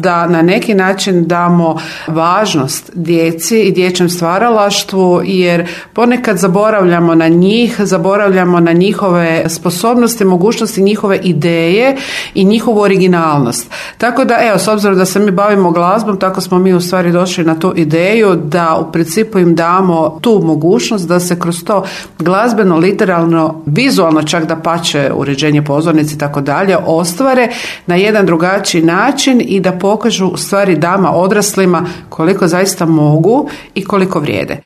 da na neki način damo važnost djeci i dječjem stvaralaštvu, jer ponekad zaboravljamo na njih, zaboravljamo na njihove sposobnosti, mogućnosti, njihove ideje i njihovu originalnost. Tako da, evo, s obzirom da se mi bavimo glazbom, tako smo mi u stvari došli na tu ideju da u principu im damo tu mogućnost da se kroz to glazbeno, literalno, vizualno čak da pače uređenje pozornice i tako dalje ostvare na jedan drugačiji način i da pokažu u stvari dama odraslima koliko zaista mogu i koliko vrijede.